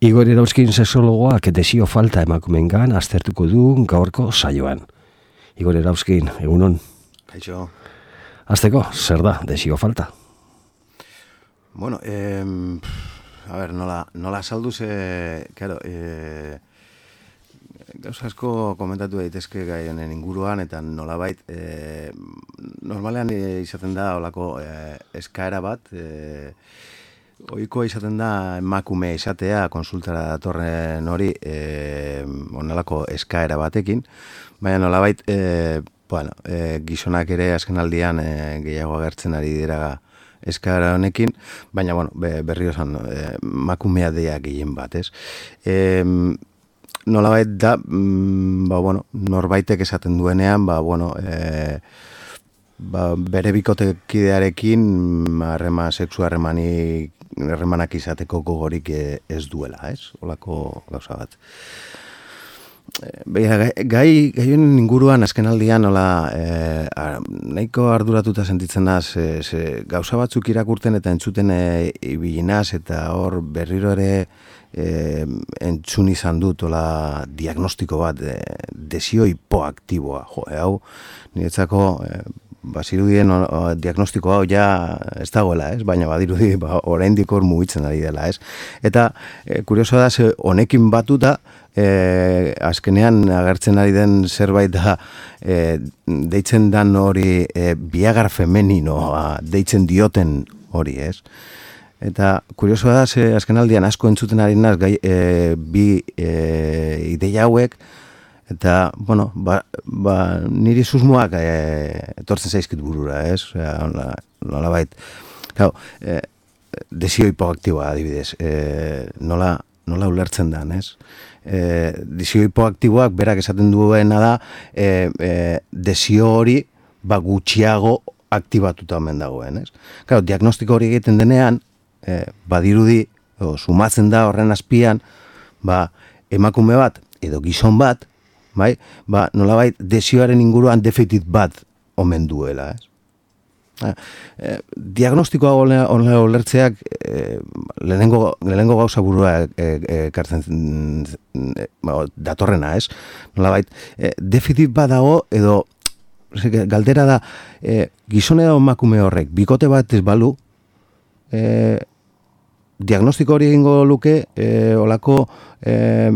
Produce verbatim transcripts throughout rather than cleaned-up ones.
Igor Erauzkin sexologoak desio falta emakumeengan aztertuko du gaurko saioan. Igor Erauzkin, egunon. Kaixo. Azteko, zer da desio falta? Bueno, eh, a ver, nola, nola saldu ze, claro, eh, gauza asko komentatu daitezke gai honen inguruan, eta nolabait, eh, normalean eh, izaten da olako eh, eskaera bat, eh, ohikoa izaten da emakume izatea konsultara datorren hori eh, onelako eskaera batekin, baina nolabait, eh, bueno, eh, gizonak ere azken aldian eh, gehiago agertzen ari dira eskaera honekin, baina bueno, berriro esan eh, emakumea deia gehien bat, ez? Eh, nolabait da, mm, ba, bueno, norbaitek esaten duenean, ba, bueno, eh, ba, bere bikotekidearekin harrema sexu harremanik harremanak izateko gogorik ez duela, ez? Olako gauza bat. Begira, gai, gai honen inguruan azken aldian nola, eh, nahiko arduratuta sentitzen naz, eh, ze, gauza batzuk irakurten eta entzuten eh, ibilinaz, eta hor berriro ere eh, entzun izan dut ola diagnostiko bat, eh, desio hipoaktiboa. Jo, eh, hau, niretzako eh, bazirudien o, o, diagnostiko hau ja ez dagoela, ez? Baina badirudi ba, oraindik hor mugitzen ari dela, ez? Eta e, kurioso da, ze honekin batuta, e, azkenean agertzen ari den zerbait da, e, deitzen dan hori e, Viagra femeninoa deitzen dioten hori, ez? Eta kurioso da, ze azken aldian asko entzuten ari naz, gai, e, bi e, ideia hauek, eta, bueno, ba, ba, niri susmoak e, etortzen zaizkit burura, ez? Nola, nola bait. Claro, e, desio hipoaktiboa adibidez. E, nola, nola ulertzen dan, ez? E, desio hipoaktiboak berak esaten duena da, e, e, desio hori ba, gutxiago aktibatuta omen dagoen, ez? Claro, diagnostiko hori egiten denean, e, badirudi, o, sumatzen da horren azpian, ba, emakume bat edo gizon bat, bai, ba, nolabait desioaren inguruan defektit bat omen duela, ez? Eh, diagnostikoa onela olertzeak eh, lehenengo, lehenengo gauza burua ekartzen eh, eh, datorrena, ez? Nolabait, eh, defektit bat dago edo galdera da, eh, gizone edo emakume horrek bikote bat ez balu, eh, diagnostiko hori egingo luke, eh, olako eh,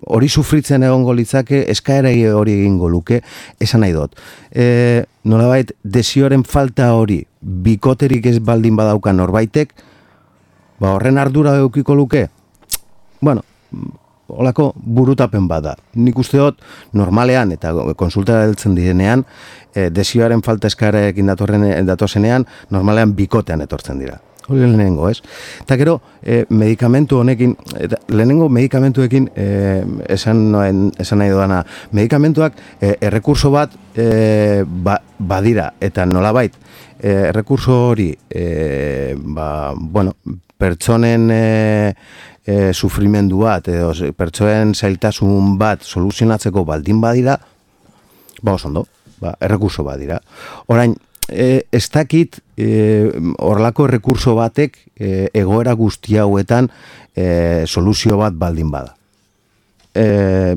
hori sufritzen egongo litzake, eskaera hori egingo luke, esan nahi dut. E, nolabait, desioaren falta hori bikoterik ez baldin badauka norbaitek, ba horren ardura eukiko luke? Bueno, holako burutapen bada. Nik uste dut, normalean eta konsultara heltzen direnean, e, desioaren falta eskaerarekin datozenean, normalean bikotean etortzen dira. Hori lehenengo, ez? Eta gero, eh, medikamentu honekin, eta lehenengo medikamentuekin eh, esan, esan nahi doana, medikamentuak eh, errekurso bat eh, ba, badira, eta nolabait, eh, errekurso hori, eh, ba, bueno, pertsonen eh, eh, sufrimendu bat, edo pertsonen zailtasun bat soluzionatzeko baldin badira, ba, osondo, ba, errekurso badira. Orain, E, ez dakit horrelako e, errekurso batek e, egoera guzti hauetan e, soluzio bat baldin bada. E,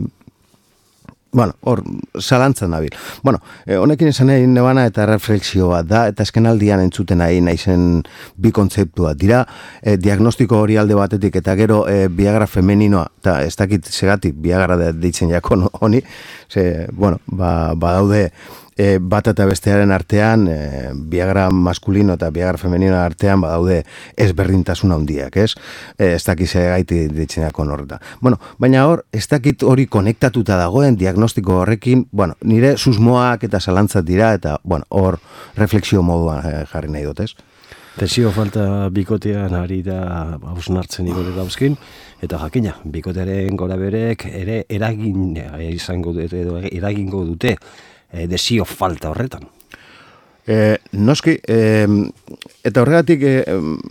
bueno, hor, zalantzan nabil. Bueno, e, honekin esan nahi nebana eta refleksio bat da, eta azken aldian entzuten nahi naizen bi kontzeptua dira, e, diagnostiko hori alde batetik, eta gero e, Viagra femeninoa, eta ez dakit segatik Viagra deitzen jako honi, ze, bueno, ba, badaude, E, bat eta bestearen artean, e, Viagra maskulino eta Viagra femenino artean badaude ezberdintasun handiak, ez? E, ez dakit gaiti ditzeneako horreta. Bueno, baina hor, ez dakit hori konektatuta dagoen diagnostiko horrekin, bueno, nire susmoak eta zalantzat dira, eta, bueno, hor refleksio moduan e, jarri nahi dut, ez? Desio falta bikotean ari da hausnartzen Igor Erauzkin, eta jakina, bikotearen gora berek ere eragin izango dute, edo eragingo dute, E, desio falta horretan. E, noski, e, eta horregatik e,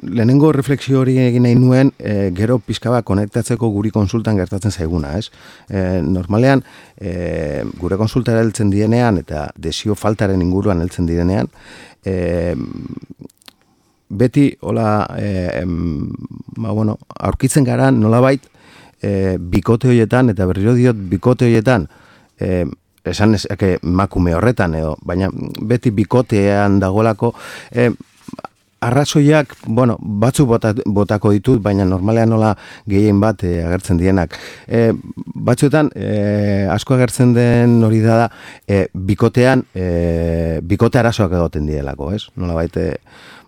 lehenengo refleksio hori egin nahi nuen, e, gero pizka bat konektatzeko guri konsultan gertatzen zaiguna, ez? E, normalean, e, gure konsultara heltzen direnean eta desio faltaren inguruan heltzen direnean, e, beti hola, e, ba, bueno, aurkitzen gara nolabait e, bikote horietan, eta berriro diot bikote horietan, e, esan ezake makume horretan, edo, baina beti bikotean dagolako, e, arrazoiak, bueno, batzuk bota, botako ditut, baina normalean nola gehien bat e, agertzen dienak. E, batzuetan, e, asko agertzen den hori da, e, bikotean, e, bikote arazoak egoten dielako, ez? Nola baite,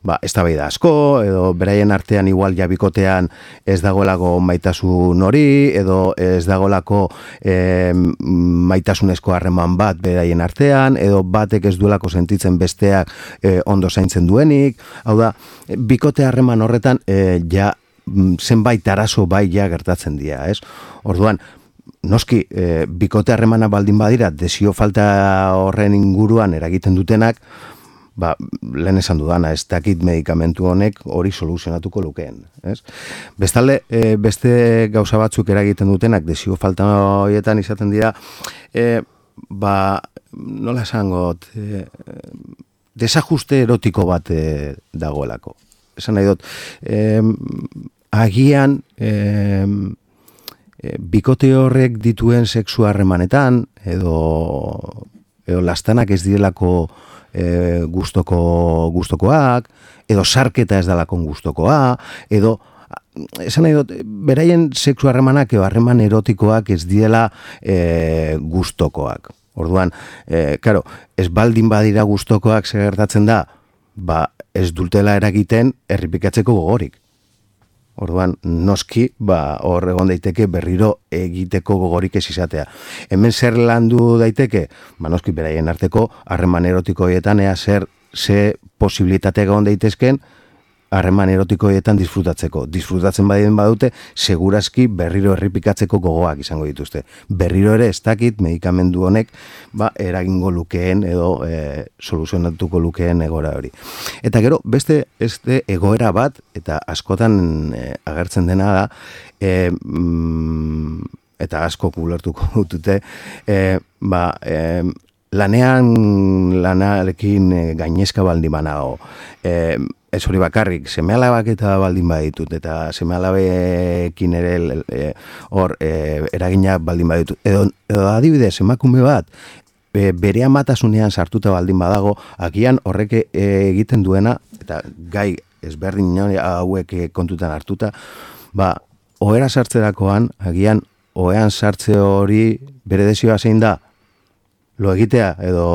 ba, eztabaida asko, edo beraien artean igual ja bikotean ez dagoelako maitasun hori, edo ez dagoelako e, maitasunezko harreman bat beraien artean, edo batek ez duelako sentitzen besteak e, ondo zaintzen duenik. Hau da, bikote harreman horretan e, ja zenbait arazo bai ja gertatzen dira, ez? Orduan, noski, e, bikote harremana baldin badira, desio falta horren inguruan eragiten dutenak, ba, lehen esan dudana, ez dakit medikamentu honek hori soluzionatuko lukeen, ez? Bestalde, e, beste gauza batzuk eragiten dutenak, desio falta horietan izaten dira, e, ba, nola esangot, e, desajuste erotiko bat e, dagoelako. Esan nahi dut, e, agian, e, e, bikote horrek dituen sexu harremanetan, edo, edo lastanak ez direlako E, gustoko gustokoak, edo sarketa ez dalakon gustokoa, edo esan nahi dut, beraien sexu harremanak edo harreman erotikoak ez diela e, gustokoak. Orduan, e, claro, ez baldin badira gustokoak zer gertatzen da, ba, ez dutela eragiten errepikatzeko gogorik. Orduan, noski, ba, hor egon daiteke berriro egiteko gogorik ez izatea. Hemen zer landu daiteke? Ba, noski, beraien arteko harreman erotikoetan ea zer ze posibilitateak egon daitezken harreman erotikoetan disfrutatzeko. Disfrutatzen badien badute, segurazki berriro errepikatzeko gogoak izango dituzte. Berriro ere ez dakit medikamendu honek ba, eragingo lukeen edo e, soluzionatuko lukeen egoera hori. Eta gero, beste este egoera bat, eta askotan e, agertzen dena da, e, mm, eta asko kulertuko dutute, e, ba, e, lanean lanarekin e, gainezka baldin banago, e, ez hori bakarrik, seme-alabak eta baldin baditut, eta seme-alabekin ere e, hor e, eragina baldin baditut. Edo, edo adibidez, emakume bat, e, bere amatasunean sartuta baldin badago, agian horrek e, egiten duena, eta gai ezberdin hauek kontutan hartuta, ba, ohera sartzerakoan, agian ohean sartze hori bere desioa zein da, lo egitea edo,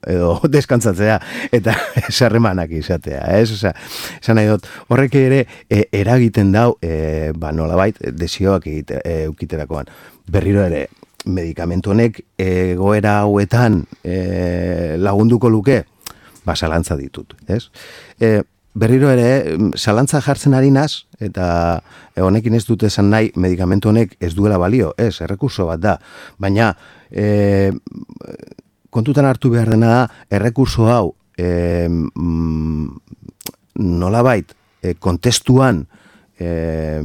edo deskantzatzea eta sarremanak izatea, ez? Osea, esan nahi dut, horrek ere e, eragiten dau, e, ba, nolabait, desioak egite, e, eukiterakoan. Berriro ere, medikamentu honek egoera hauetan e, lagunduko luke, ba, zalantza ditut, ez? E, berriro ere, zalantza jartzen ari naz, eta honekin ez dut esan nahi, medikamentu honek ez duela balio, ez, errekurso bat da, baina e, kontutan hartu behar dena da, errekurso hau e, mm, nolabait e, kontestuan e,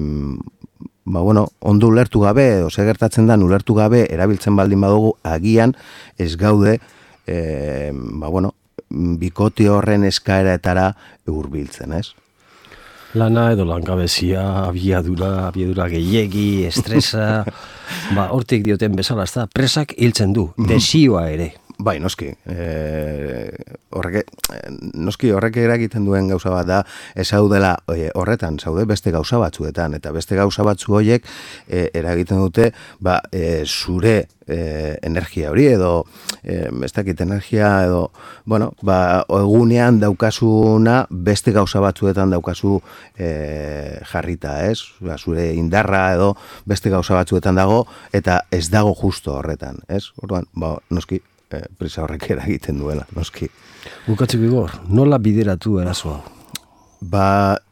ba, bueno, ondo ulertu gabe, edo ze gertatzen da ulertu gabe, erabiltzen baldin badugu, agian ez gaude, e, ba, bueno, bikote horren eskaeraetara hurbiltzen, ez? Lana edo langabezia, abiadura, abiadura gehiegi, estresa, ba, hortik dioten bezala, ez da, presak hiltzen du, desioa ere. Bai, noski. E, horrek, noski horrek eragiten duen gauza bat da, ez daudela e, horretan, zaude beste gauza batzuetan, eta beste gauza batzu horiek e, eragiten dute ba, e, zure e, energia hori, edo e, ez dakit energia, edo, bueno, ba, egunean daukasuna beste gauza batzuetan daukazu e, jarrita, ez? Ba, zure indarra edo beste gauza batzuetan dago, eta ez dago justo horretan, ez? Orduan, ba, noski, E, prisa horrek eragiten duela, noski. Bukatzeko Igor, nola bideratu erasoa? Ba,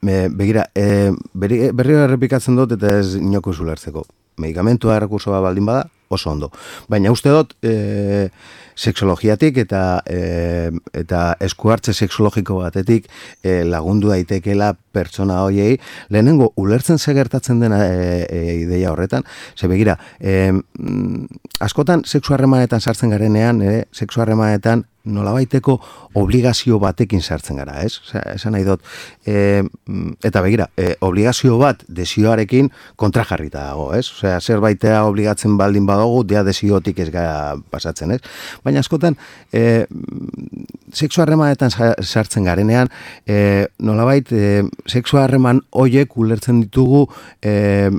e, begira, e, berri, berri errepikatzen dut eta ez inoko zulertzeko. Medikamentua errekursoa baldin bada, oso ondo. Baina uste dut, e, sexologiatik eta, e, eta eskuhartze sexologiko batetik e, lagundu daitekela pertsona hoiei, lehenengo ulertzen ze gertatzen dena e, e, ideia horretan, ze begira, e, askotan sexu harremanetan sartzen garenean, e, sexu harremanetan nolabaiteko obligazio batekin sartzen gara, ez? Esan nahi dut, e, eta begira, e, obligazio bat desioarekin kontrajarrita dago, ez? Osea, zerbaitea obligatzen baldin badugu, dia desiotik ez gara pasatzen, ez? Baina askotan, e, sexu harremanetan sartzen garenean, e, nolabait, e, sexu harreman hoiek ulertzen ditugu e,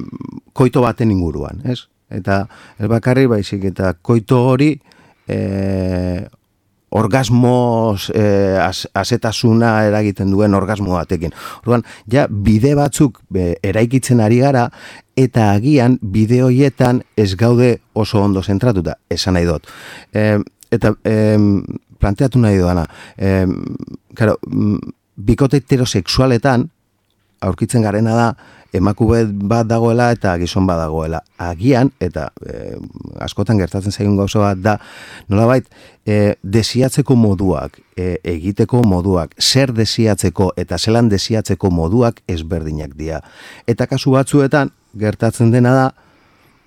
koito baten inguruan, ez? Eta ez bakarri baizik eta koito hori e, orgasmos e, az, azetasuna eragiten duen orgasmo batekin. Orduan, ja bide batzuk e, eraikitzen ari gara eta agian bide horietan ez gaude oso ondo zentratuta, esan nahi dut. E, eta e, planteatu nahi doana, e, claro, bikote heterosexualetan aurkitzen garena da emakume bat dagoela eta gizon bat dagoela. Agian, eta e, askotan gertatzen zaigun gauza bat da, nolabait, e, desiatzeko moduak, e, egiteko moduak, zer desiatzeko eta zelan desiatzeko moduak ezberdinak dira. Eta kasu batzuetan, gertatzen dena da,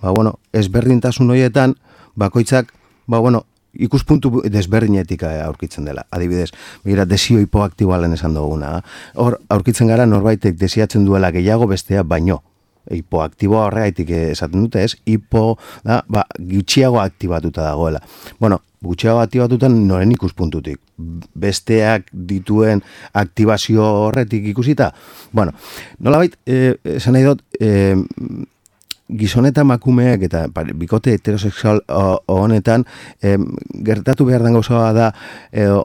ba, bueno, ezberdintasun horietan, bakoitzak, ba, bueno, ikuspuntu desberdinetik aurkitzen dela. Adibidez, begira, desio hipoaktiboa lehen esan duguna. Hor, aurkitzen gara norbaitek desiatzen duela gehiago bestea baino. Hipoaktiboa horregaitik esaten dute, ez? Hipo, da, ba, gutxiago aktibatuta dagoela. Bueno, gutxiago aktibatutan noren ikuspuntutik. Besteak dituen aktibazio horretik ikusita. Bueno, nolabait, eh, esan nahi dut, eh, gizon eta emakumeak eta bikote heterosexual honetan em, gertatu behar den gauza da edo,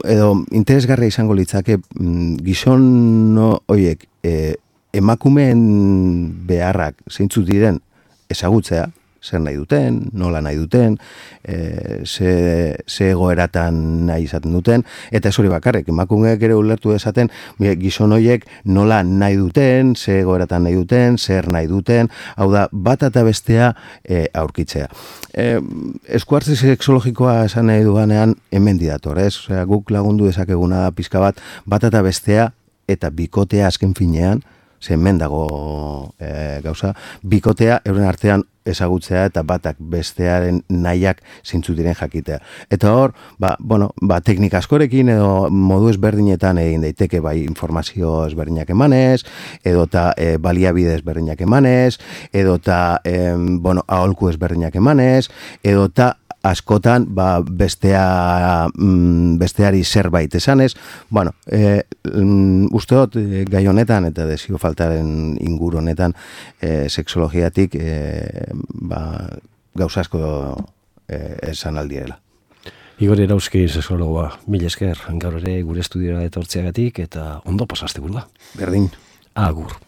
edo interesgarria izango litzake gizon horiek e, emakumeen beharrak zeintzuk diren ezagutzea, zer nahi duten, nola nahi duten, e, ze, ze egoeratan nahi izaten duten, eta ez hori bakarrik, emakumeak ere ulertu dezaten, gizon horiek nola nahi duten, ze egoeratan nahi duten, zer nahi duten, hau da, bat eta bestea e, aurkitzea. E, eskuartze sexologikoa esan nahi duganean hemen didator, ez? Osea, guk lagundu dezakeguna da pizka bat, bat eta bestea eta bikotea azken finean, ze hemen dago e, gauza, bikotea euren artean ezagutzea eta batak bestearen nahiak zintzu diren jakitea. Eta hor, ba, bueno, ba, teknika askorekin edo modu ezberdinetan egin daiteke bai informazio ezberdinak emanez, edota e, baliabide ezberdinak emanez, edota e, bueno, aholku ezberdinak emanez, edota askotan ba, bestea, mm, besteari zerbait esanez. Bueno, e, mm, uste dut e, gai honetan eta desio faltaren inguru honetan e, sexologiatik e, ba, gauza asko e, esan aldiela. Igor Erauzki sexologoa, mil esker, gaur ere gure estudiora etortzeagatik eta ondo pasaste burua. Berdin. Agur.